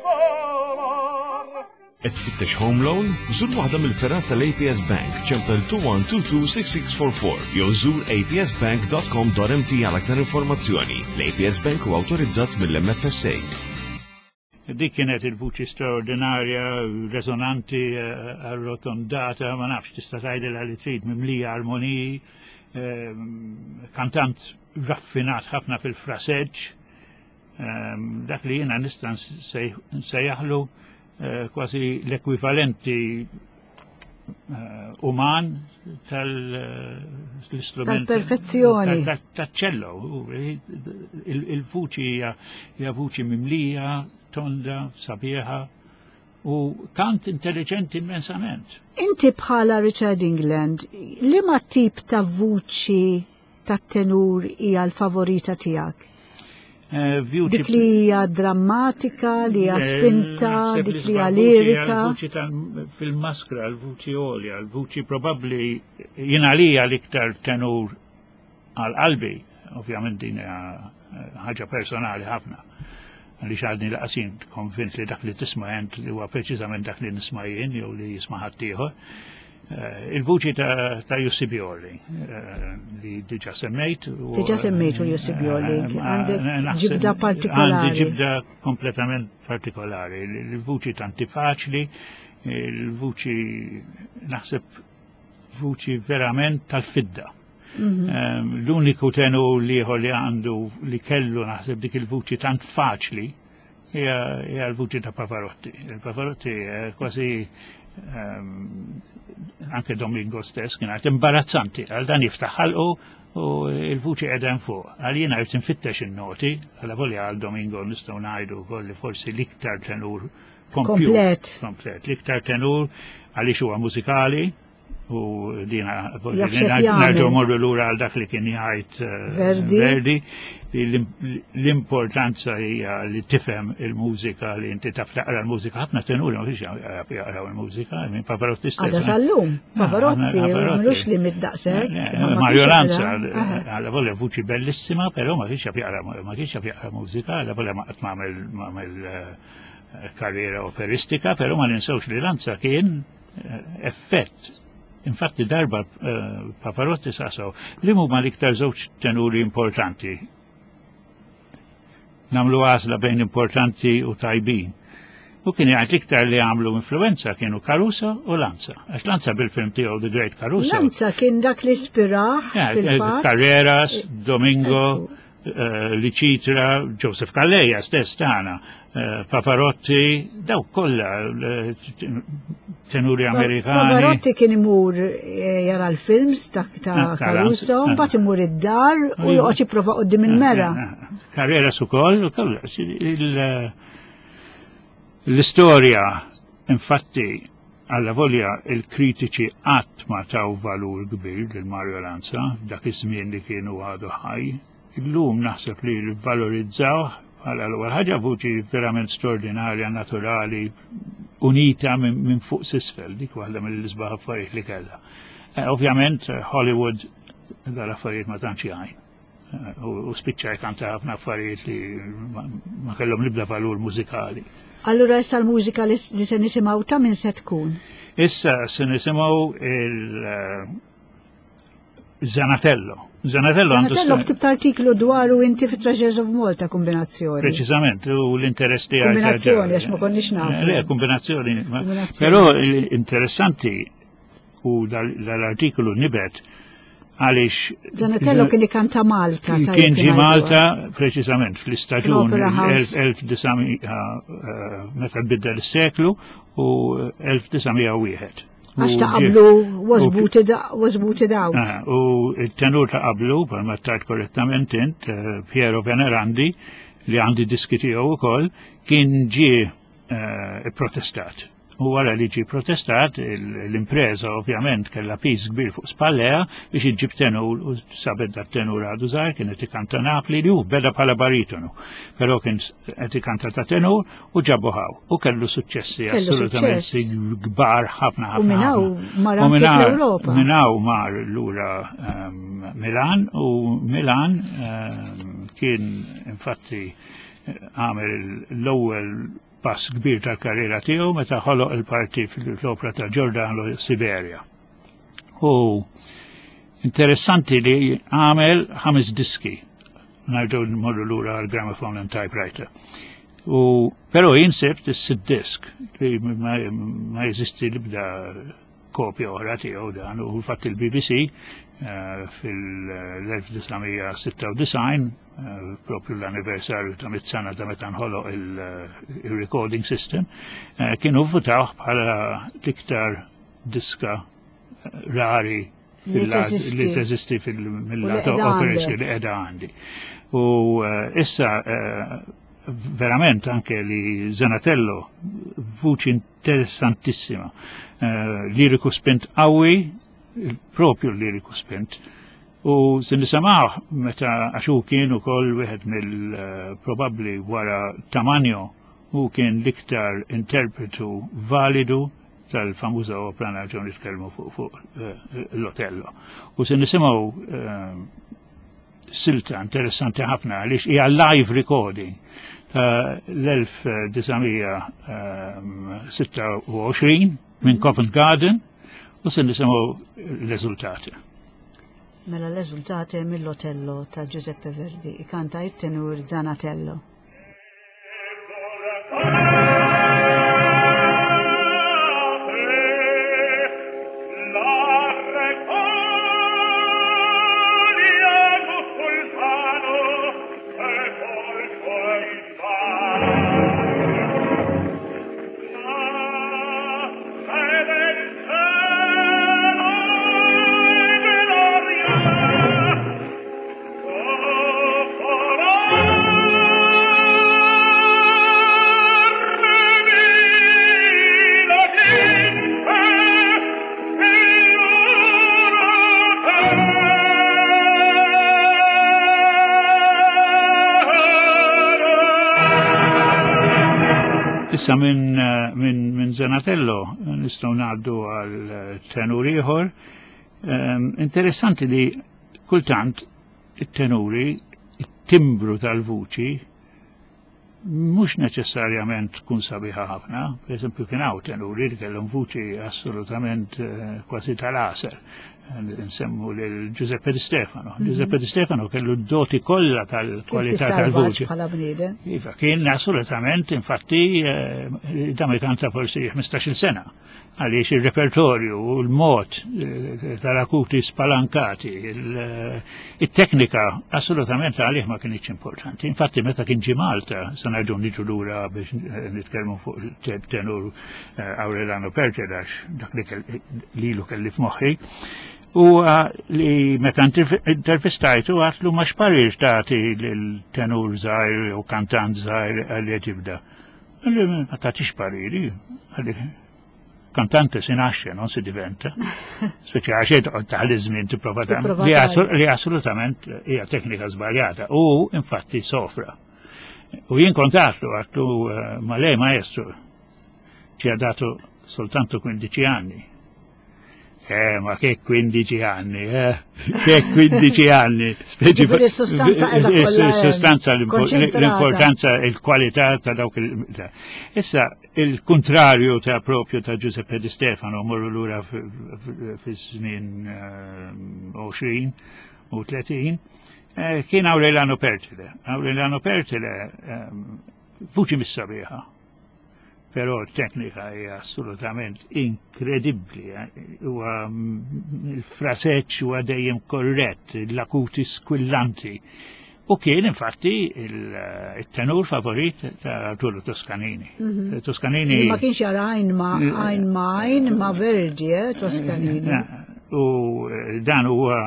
S1: consolar.
S4: Qed tfittex home loan? Żur waħda mill-fergħat tal-APS Bank, ċempel 21226644 jew żur apsbank.com.mt għal aktar informazzjoni. L-APS Bank huwa awtorizzat mill-MFSA.
S3: Dik kienet il-vuċi straordinarja, resonanti, arrotondata, ma nafx tista' tgħidilha li trid, mimlija armoniji, kantant raffinat ħafna fil-fraseġġ, dak li jiena nista' nsejjaħlu kważi l-ekwivalenti uman tal-istrument.
S2: Tal-perfezzjoni.
S3: Tal-ċello. Il-vuċi hija vuċi mimlija, tonda, sabiħa u kant intelligenti immensament.
S2: Inti bħala Richard England, liema tip ta' vuċi tat-tenur hija l-favorita tiegħek?
S3: Vuċi
S2: Dik li hija drammatika, li hija spinta,
S3: Naħseb
S2: dik
S3: li
S2: li hija
S3: l-vuċi hija
S2: lirika.
S3: L-vuċi fil-maskra, l-vuċi għolja, l-vuċi probabbli jien għalija l-iktar tenur għal qalbi, ovvjament din hija ħaġa personali ħafna. Għaliex għadni laqasin konvint li dak li tisma' jent li huwa preċiżament dak li nisma' jien jew li jisma' ħaddieħor. Il-vuċi ta' Jussi Bjorling, li diġa semmejt.
S2: Diġa semmejtu Jussi Bjorling, għandek
S3: Naħseb
S2: ġibda partikolari.
S3: Għandi ġibda kompletament partikolari. Il-vuċi tanti faċli, il-vuċi naħseb vuċi verament tal-fidda. L-uniku tenur liħor li għandu li kellu naħseb dik il-vuċi tant faċli hija l-vuċi ta' Pavarotti. Il-Pavarotti kważi anke Domingo stess kien għad imbarazzanti għal dan jiftaħ ħalqu u il-vuċi qiegħda fuq. Għal jiena rrid infittex in-noti, għal volja għal Domingo nistgħu ngħidu wkoll li forsi l-iktar tenur kompjut.
S2: Komplet.
S3: Komplet. L-iktar tenur għaliex huwa mużikali u dina
S2: Jaf x'qed jagħmel.
S3: nerġgħu morru lura għal dak li kien jgħid
S2: Verdi.
S3: Verdi, li l-importanza hija li tifhem il-mużika, li inti taf taqra l-mużika. Ħafna tenuri ma fiex jaqraw il-mużika, minn Pavarotti stess.
S2: Għada sal-lum, Pavarotti,
S3: Pavarotti.
S2: mhux li mid-daqshekk, ma ma
S3: Mario
S2: kienx
S3: Lanza,
S2: jaqra.
S3: għalla volja vuċi bellissima, però ma kienx jaqra, ma kienx jaqra mużika, għalla volja ma qatt m'għamel karriera operistika, però ma ninsewx li Lanza kien effett. Infatti darba Pavarotti saqsaw li huma l-iktar żewġ tenuri importanti. Namlu għażla bejn importanti u tajbin. U kien jgħid l-iktar li għamlu influenza kienu Caruso u Lanza. Għax Lanza bil-film tiegħu The Great Caruso.
S2: Lanza kien dak li ispirah fil-fatt.
S3: Carreras, Domingo,
S2: Ekku.
S3: Licitra, Joseph Calleja stess tagħna, Pavarotti, daw kollha tenuri Amerikani.
S2: Pavarotti kien imur jara l-films ta'
S3: Caruso.
S2: Caruso, mbagħad imur id-dar u joqgħod jipprova quddiem il-mera.
S3: Carreras ukoll, ukoll, l-istorja, infatti, alla volja il-kritiċi qatt ma taw valur kbir lil Mario Lanza dak iż-żmien li kienu għadu ħaj. Illum naħseb li valorizzaw bħala l-ewwel ħaġa vuċi verament straordinarja, naturali, unita minn fuq s'isfel, dik waħda mill-isbaħ affarijiet li kellha. Ovvjament Hollywood dal-affarijiet ma tantx jgħin. U spiċċa jkanta ħafna affarijiet li ma kellhom l-ebda valur mużikali.
S2: Allura issa l-mużika li se nisimgħu ta' min se tkun?
S3: Issa se nisimgħu il Zanatello. Zanatello għandu
S2: Zanatello ktibt artiklu dwaru inti fi Treasures of Malta, kombinazzjoni.
S3: Preċiżament, u l-interess tiegħi
S2: Kombinazzjoni, għax ma konniex nafu.
S3: Le, kombinazzjoni, ma-
S2: Kombinazzjoni.
S3: Però interessanti u dal-artiklu nibet Għaliex.
S2: Zanatello kien ikanta Malta.
S3: Kien ġi Malta preċiżament fl-istaġun 1900 eh, meta biddel is-seklu u 1901.
S2: Għax ta' qablu was booted, was booted out.
S3: Ah, u il-tenur ta' qablu, palma tajt korrettament int, eh, Piero Venerandi, li għandi diski tiegħu ukoll, kien ġie eh, protestat. U wara li ġie protestat, l-impreza ovvjament kellha piż kbir fuq spallejha biex iġġib tenur u sabet dat tenur għadu żgħar kien qed ikanta Napli li hu beda bħala baritonu. Però kien qed ikanta ta' tenur u ġabu ħaw u kellu suċċessi assolutament kbar ħafna ħafna.
S2: U minn hawn mar anke l-Ewropa.
S3: Minn hawn mar lura ehm, Milan u Milan ehm, kien infatti għamel l-ewwel pass kbir tal-karriera tiegħu meta ħoloq il-parti fl-opra ta' Giordano Siberia. U interessanti li għamel ħames diski nerġgħu nmorru lura għal gramophone and typewriter. U però jien sibt is-sitt disk li ma jeżisti l-ibda kopja oħra tiegħu dan u fatt il-BBC eh, fil-1996 eh, propju l-anniversarju ta' mit-sena ta' meta nħoloq il-recording system eh, kienu votaw bħala l-iktar diska rari li teżisti fil-mill-lat operas li qiegħda għandi. U issa verament anke li Zanatello vuċi interessantissima. Eh, liriku spint qawwi, propju liriku spint. U se nisamaħ meta għax hu kien ukoll wieħed mill-probabbli eh, wara Tamanjo u kien l-iktar interpretu validu tal-famuża opra nerġgħu nitkellmu fuq fu, eh, l-Otello. U se nisimgħu silta interessanti ħafna għaliex hija live recording ta' l-1926 minn Covent Garden u se nisimgħu l-eżultati.
S2: Mela l-eżultati mill-Otello ta' Giuseppe Verdi, ikanta it-tenur Zanatello.
S3: Issa minn min, min Zanatello nistgħu ngħaddu għal tenur ieħor. Um, interessanti li kultant it-tenuri, it-timbru tal-vuċi mhux neċessarjament tkun sabiħa ħafna. Per eżempju kien hawn tenuri li kellhom vuċi assolutament eh, kważi tal-għasel. Nsemmu lil Giuseppe Di Stefano. Mhm. Giuseppe Di Stefano kellu d-doti kollha tal-kwalità tal-vuċi. Iva, kien assolutament, infatti, eh, dam ikanta forsi 15-il sena għaliex il-repertorju u l-mod eh, tal-akuti spalankati, eh, il-teknika assolutament għalih ma kienx importanti. Infatti meta kien ġi Malta, se nerġgħu niġu lura biex eh, nitkellmu fuq tenur Aurelano Pertedax, dak li lilu kelli f'moħħi, u li meta intervistajtu għatlu ma xparir tagħti lil-tenur żgħir u kantant żgħir għal ġibda. Għalli ma tagħtix pariri, għalli kantante si nasce, non si diventa. Speċi għax toqgħod taħli żmien tipprova tagħmel li assolutament hija teknika żbaljata u infatti sofra. U jien kont għatlu għatlu eh, ma lei maestro ci ha dato soltanto 15 anni. Eh, ma che 15 anni, eh? Che 15 anni.
S2: Speċi sostanza
S3: sostanza l-importanza, il-kwalità ta' dawk il. Issa, il-kontrarju ta' propju ta' Giuseppe Di Stefano, morru lura fi żmien 20 eh, u 30, eh, kien Aureliano Pertile. Aureliano Pertile, eh, vuċi mis-sabiħa. Però t-teknika hija assolutament inkredibbli. Eh. Huwa mm, il-fraseċ huwa dejjem korrett, l-akuti squillanti. U kien infatti il-tenur favorit ta' Arturo Toscanini. Mhm. Toscanini.
S2: Ma kienx jara għajn ma għajn ma għajn ma Verdi, eh, Toscanini. Eh,
S3: u eh, dan huwa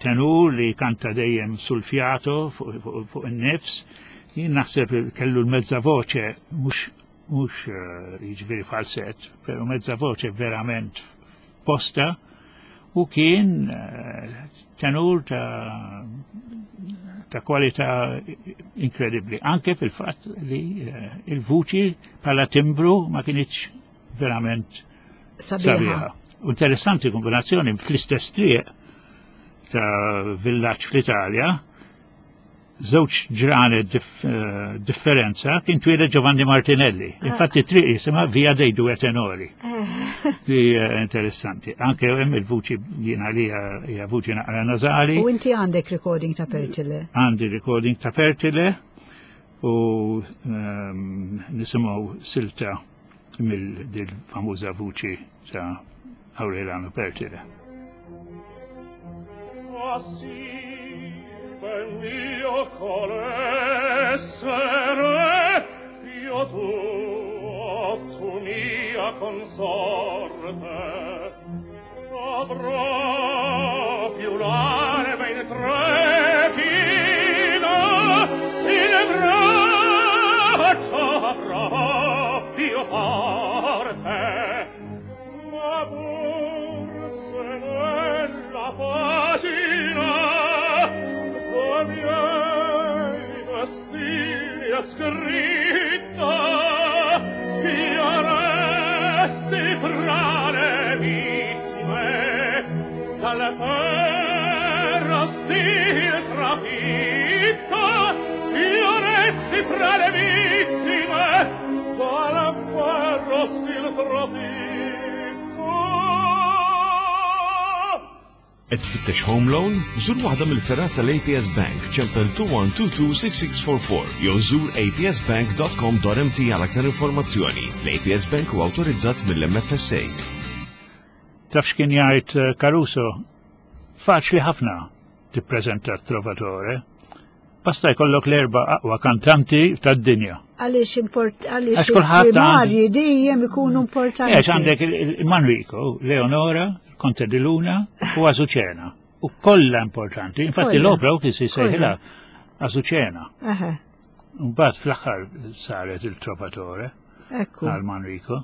S3: tenur li kanta dejjem sul fiato fuq in-nifs. Jien naħseb kellu l-mezza voce mhux mhux eh, jiġifieri falsett, però mezza voce verament posta u kien eh, tenur ta' ta' kwalità inkredibbli. Anke fil-fatt li eh, il-vuċi bħala timbru ma kienx verament
S2: sabiħa.
S3: Interessanti kombinazzjoni fl-istess triq ta' villaġġ fl-Italja żewġ ġranet eh, differenza kien twieled Giovanni Martinelli. Ah. Infatti triq jisimha Via dei Due Tenori. Eh. Li interessanti. Anke hemm il-vuċi jiena li hija vuċi naqra nażali.
S2: U inti għandek recording ta' Pertile?
S3: Għandi recording ta' Pertile u ehm, nisimgħu silta mill-famuża vuċi ta' Aureliano Pertile.
S1: Mio essere io tu, tu mia consorte avrò più l'anima intrepida in braccio avrò più forte ma pur se nella pagina miei vestiti è scritta io resti fra le vittime dal ferro stil trafitta io resti fra le vittime dal ferro stil trafitta
S4: Qed tfittex home loan? Żur waħda mill-fergħat tal-APS Bank, ċempel 21226644 jew żur apsbank.com.mt għal aktar informazzjoni. L-APS Bank huwa awtorizzat mill-MFSA.
S3: Taf x'kien jgħid eh, Caruso? Faċli ħafna tippreżenta Trovatore. Basta jkollok l-erba' aqwa kantanti tad-dinja.
S2: Għaliex import għaliex il-primarji dejjem ikunu importanti.
S3: Għax għandek il-Manrico, Leonora, Conte di Luna u Azucena. U kollha importanti. Infatti l-opra u kien sejħilha Azucena. Mbagħad fl-aħħar saret il-Trovatore.
S2: Ekku.
S3: Għal Manrico.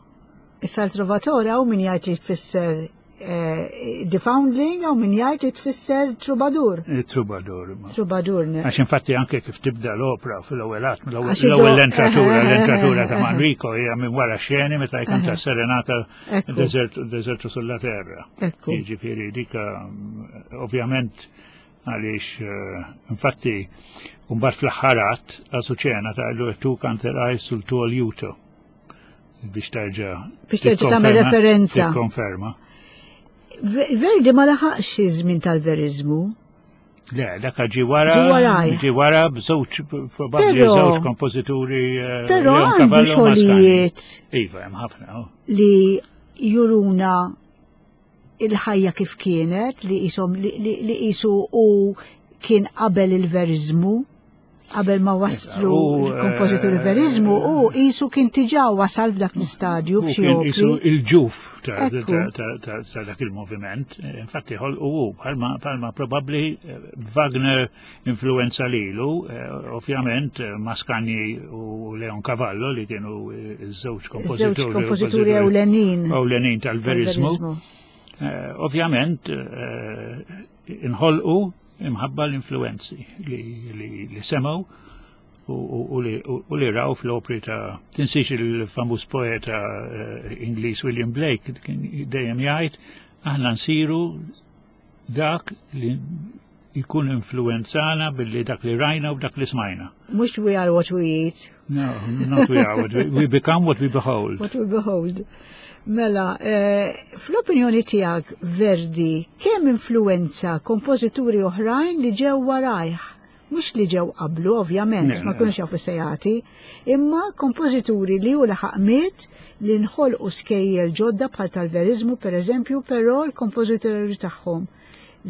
S2: Issa l-Trovatore hawn min jgħid li tfisser eh, The Foundling hawn min jgħid li tfisser Troubadour.
S3: Eh, troubadour.
S2: Troubadour.
S3: Għax infatti anke kif tibda l-opra fil-ewwel att, l-ewwel l-entratura, l-entratura ta' Manrico hija minn wara xeni meta jkanta serenata Desertu sulla terra. Jiġifieri dika ovvjament għaliex eh, infatti mbagħad fl-aħħar Azucena ta' lu tu kanteraj sul tuo liuto biex terġa'
S2: biex terġa' tagħmel referenza.
S3: Konferma.
S2: Verdi ma laħaqx iż-żmien tal-veriżmu.
S3: Le, dak ġi wara. Ġi wara b'żewġ probabbli żewġ kompożituri.
S2: Eh, Però għandu xogħlijiet.
S3: Iva, hemm ħafna. Oh.
S2: Li juruna il-ħajja kif kienet, li jisom li jisu u kien qabel il-veriżmu qabel ma waslu l-kompożituri eh, verizmu u jisu kien tiġa wasal f'dak l-istadju f'xi
S3: opri. Il-ġuf ta' dak il-moviment, eh, infatti ħolqu hu bħalma probabbli eh, Wagner influenza lilu, ovvjament Mascagni u Leon Cavallo li kienu ż-żewġ kompożituri.
S2: Żewġ kompożituri ewlenin.
S3: Ewlenin tal-verizmu. Ovvjament inħolqu imħabba l-influenzi li, li, li semgħu u, li, u li raw fl-opri ta' tinsiex il-famuż poeta eh, Ingliż William Blake kien dejjem jgħid aħna nsiru dak li jkun influenzana billi dak li rajna u dak li smajna.
S2: Mux we are what we eat.
S3: No, not we are what we, we become what we behold.
S2: What we behold. Mela, eh, fl-opinjoni tiegħek Verdi, kemm influenza kompożituri oħrajn li ġew warajh? Mhux li ġew qablu, ovvjament, ma kunux jafu sejati, imma kompożituri li hu laħaq miet li nħolqu skejjel ġodda bħal tal-verizmu pereżempju, però l-kompożituri tagħhom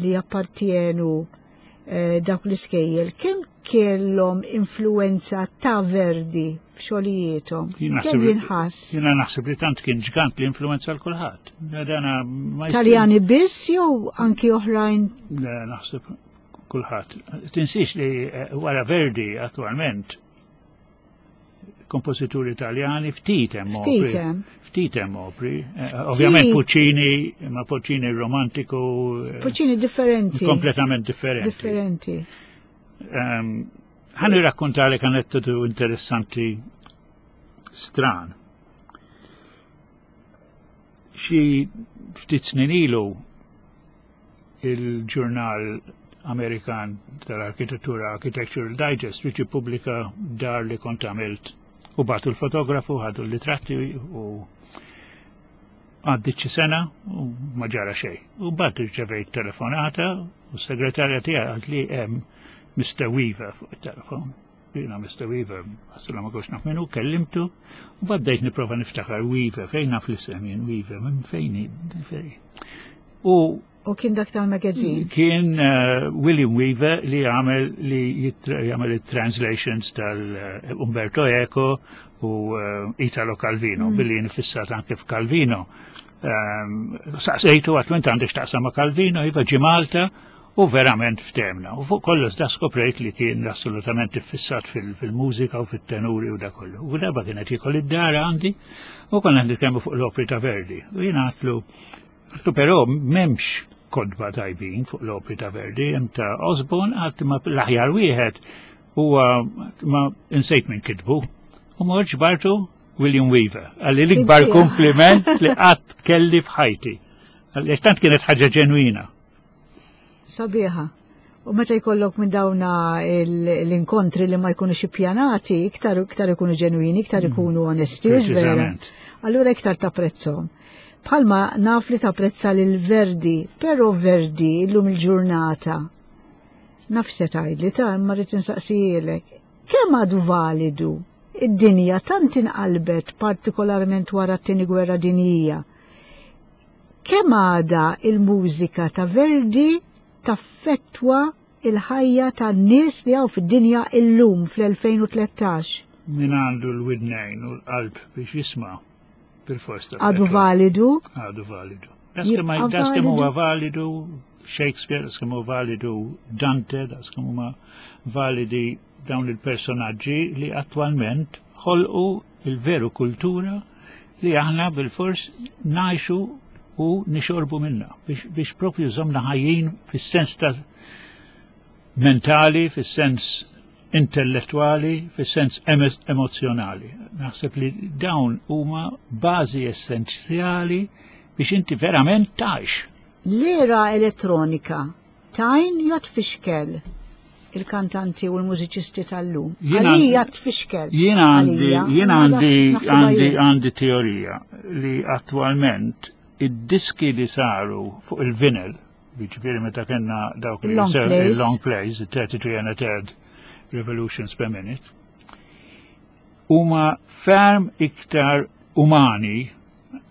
S2: li jappartjenu eh, dawk l-iskejjel, kemm kellhom influenza ta' Verdi f'xogħlijiethom? Kemm jinħass?
S3: Jiena naħseb li tant kien ġgant li influenza l kulħadd.
S2: Taljani biss jew anki oħrajn?
S3: Le, naħseb kulħadd. Tinsiex li eh, wara Verdi attualment kompożituri Italjani ftit hemm opri. Ftit hemm opri. Eh, ovvjament Puccini, ma Puccini romantiku.
S2: Eh, Puccini differenti.
S3: Kompletament differenti.
S2: Differenti.
S3: Ehm, ħan irrakkontalek aneddotu interessanti stran. Xi ftit snin ilu il-ġurnal Amerikan tal-arkitettura Architectural Digest biex jippubblika dar li kont għamilt u batu l-fotografu, ħadu l-litratti u għaddit xi sena u ma ġara xejn. U bat irċevejt telefonata u s-segretarja tiegħi għalt li hemm Mr. Weaver fuq it-telefon. Jiena Mr. Weaver, għasla ma kox naf minnu, kellimtu, u baddejt niprofa niftakar Weaver, fejn naf l-isem jien Weaver, minn fejn fejn.
S2: U U kien dak tal-magazine?
S3: Kien uh, William Weaver li għamel li jagħmel it-translations tal-Umberto Eco u uh, Italo Calvino, mm. billi nifissat anke f'Calvino. Um, saqsejtu għatlu int għandek x'taqsam ma' Calvino, iva ġi Malta, U verament ftemna. U fuq kollox da skoprejt li kien assolutament iffissat fil-mużika u fit-tenuri u da kollu. U darba kienet jikol id-dar għandi u konna nitkellmu fuq l-opri ta' Verdi. U jien għatlu, għatlu però m'hemmx kodba tajbin fuq l-opri ta' Verdi, hemm ta' Osborne għalt ma l-aħjar wieħed huwa ma insejt minn kitbu. U morġ bartu William Weaver. Għalli l-ikbar kompliment li qatt kelli f'ħajti. Għalli tant kienet ħaġa ġenwina.
S2: Sabiħa. U meta jkollok minn dawna l-inkontri li ma jkunux ippjanati, iktar iktar ikunu ġenwini, iktar mm. ikunu onesti, u vera. Allura iktar tapprezzhom. Bħalma naf li tapprezza lil Verdi, però Verdi illum il-ġurnata. Naf se tgħidli ta' imma rrid insaqsijielek. Kemm għadu validu? Id-dinja tant inqalbet partikolarment wara t-tieni gwerra dinjija Kemm għadha il-mużika ta' Verdi taffettwa il-ħajja tan-nies li hawn fid-dinja illum fl-2013?
S3: Min għandu l-widnejn u l-qalb biex jisma' bil-fors
S2: ta' Għadu validu?
S3: Għadu validu. Das kemm huwa validu Shakespeare, das kemm huwa validu Dante, das kemm huma validi dawn il-personaġġi li attwalment ħolqu il-veru kultura li aħna bil-fors ngħixu u nixorbu minna biex, biex propju żomna ħajjin fis-sens ta' mentali, fis-sens intellettuali, fis-sens emozjonali. Naħseb li dawn huma bażi essenzjali biex inti verament tgħix.
S2: L-era elettronika Tajn jew tfixkel il-kantanti u l-mużiċisti tal-lum? Għalija tfixkel.
S3: Jien għandi jien għandi għandi għandi teorija li attualment id-diski li saru fuq il-vinyl, jiġifieri meta kellna dawk il-long plays, 33 and a third revolutions per minute, huma ferm iktar umani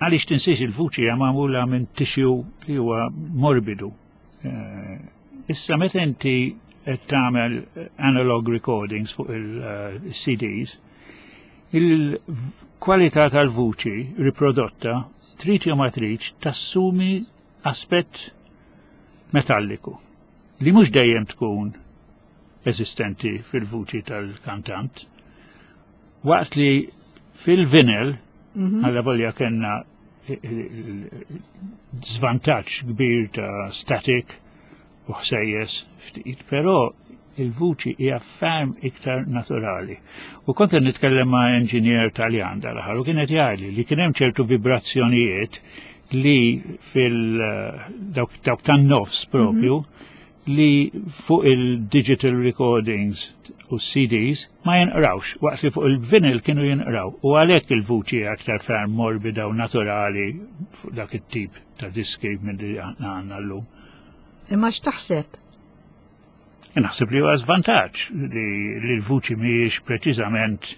S3: għaliex tinsiex il-vuċi hija magħmula minn tissue li huwa morbidu. Eh, issa meta inti qed tagħmel analog recordings fuq il-CDs, il-kwalità tal-vuċi riprodotta trid jew ma tridx tassumi aspett metalliku li mhux dejjem tkun eżistenti fil-vuċi tal-kantant. Waqt li fil-vinyl, mhm. għalla volja kellna żvantaġġ kbir ta' static u ħsejjes ftit, però il-vuċi hija ferm iktar naturali. U kont qed nitkellem ma' enġinier Taljan dal-aħħar u kienet jgħidli li kien hemm ċertu vibrazzjonijiet li fil dawk tan-nofs propju mm -hmm li fuq il-digital recordings u CDs ma jinqrawx, waqt li fuq il-vinyl kienu jinqraw. U għalhekk il-vuċi aktar ferm morbida u naturali fuq dak it-tip ta' diski minn li għandna llum.
S2: Imma x'taħseb?
S3: Naħseb li huwa żvantaġġ li l-vuċi mhijiex preċiżament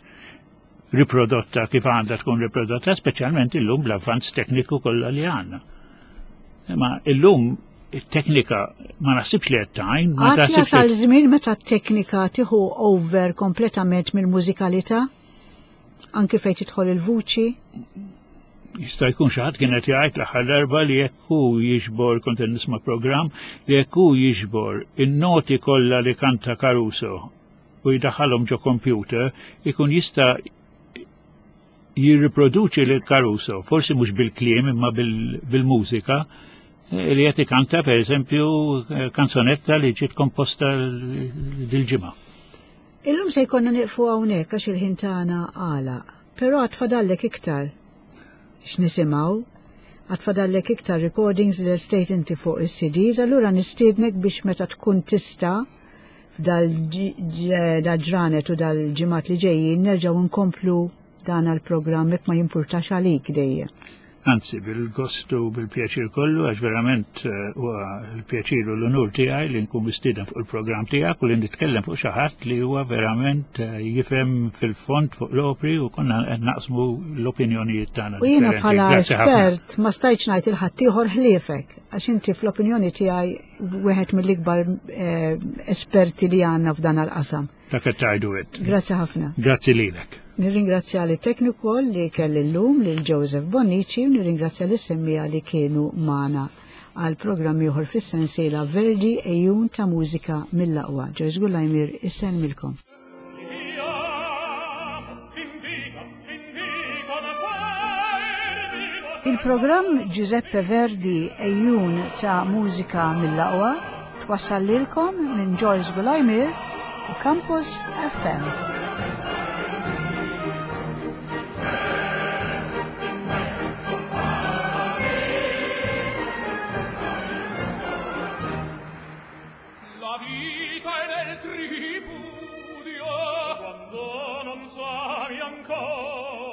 S3: riprodotta kif għandha tkun riprodotta, speċjalment illum bl-avvanz tekniku kollha li għandna. Imma illum it-teknika ma naħsibx li qed tgħin.
S2: Ma taħsibx jasal żmien meta t-teknika tieħu over kompletament mill-mużikalità? Anki fejn tidħol il-vuċi?
S3: Jista' jkun xi ħadd kien qed jgħid l-aħħar darba li jekk hu jiġbor kont qed nisma' programm li jekk hu jiġbor in-noti kollha li kanta Caruso u jdaħħalhom ġo computer ikun jista' jirriproduċi lil Caruso, forsi mhux bil-kliem imma bil-mużika, eh, li qed ikanta pereżempju eh, kanzonetta li ġiet komposta dil-ġimgħa.
S2: Illum se jkollna nieqfu hawnhekk għax il-ħin tagħna għalaq, però għad fadallek iktar x'nisimgħu, għad fadallek iktar recordings li lestejt inti fuq is-CDs, allura nistiednek biex meta tkun tista' f'dal-ġranet u dal-ġimgħat li ġejjin nerġgħu nkomplu dan għall-programm jekk ma jimpurtax għalik dejjem.
S3: Anzi, bil-gostu bil-pjaċir kollu, għax verament eh, huwa l-pjaċir u l-unur tiegħi li nkun mistieden fuq il-programm tiegħek u li nitkellem fuq xi ħadd li huwa verament eh, jifhem fil-fond fuq l-opri u konna qed naqsmu l-opinjonijiet tagħna.
S2: U jiena bħala espert ma stajtx ngħid il-ħaddieħor ħliefek għax inti fl-opinjoni tiegħi wieħed mill-ikbar eh, esperti li għandna f'dan għal-qasam.
S3: Dak qed tgħidu int.
S2: Grazzi ħafna.
S3: Grazzi lilek.
S2: Nirringrazzja li tekniku li kelli llum lil Joseph Bonnici u nirringrazzja lis semmija li kienu magħna għal programm ieħor fis-sensiela Verdi ejjun ta' mużika mill-aqwa. Joyce Gullajmir isellmilkom. Il-programm Giuseppe Verdi Ejjun ta' mużika mill-aqwa twassal lilkom minn Joyce Gulajmir u Campus FM.
S1: La vita è nel tripudio quando non sai ancora.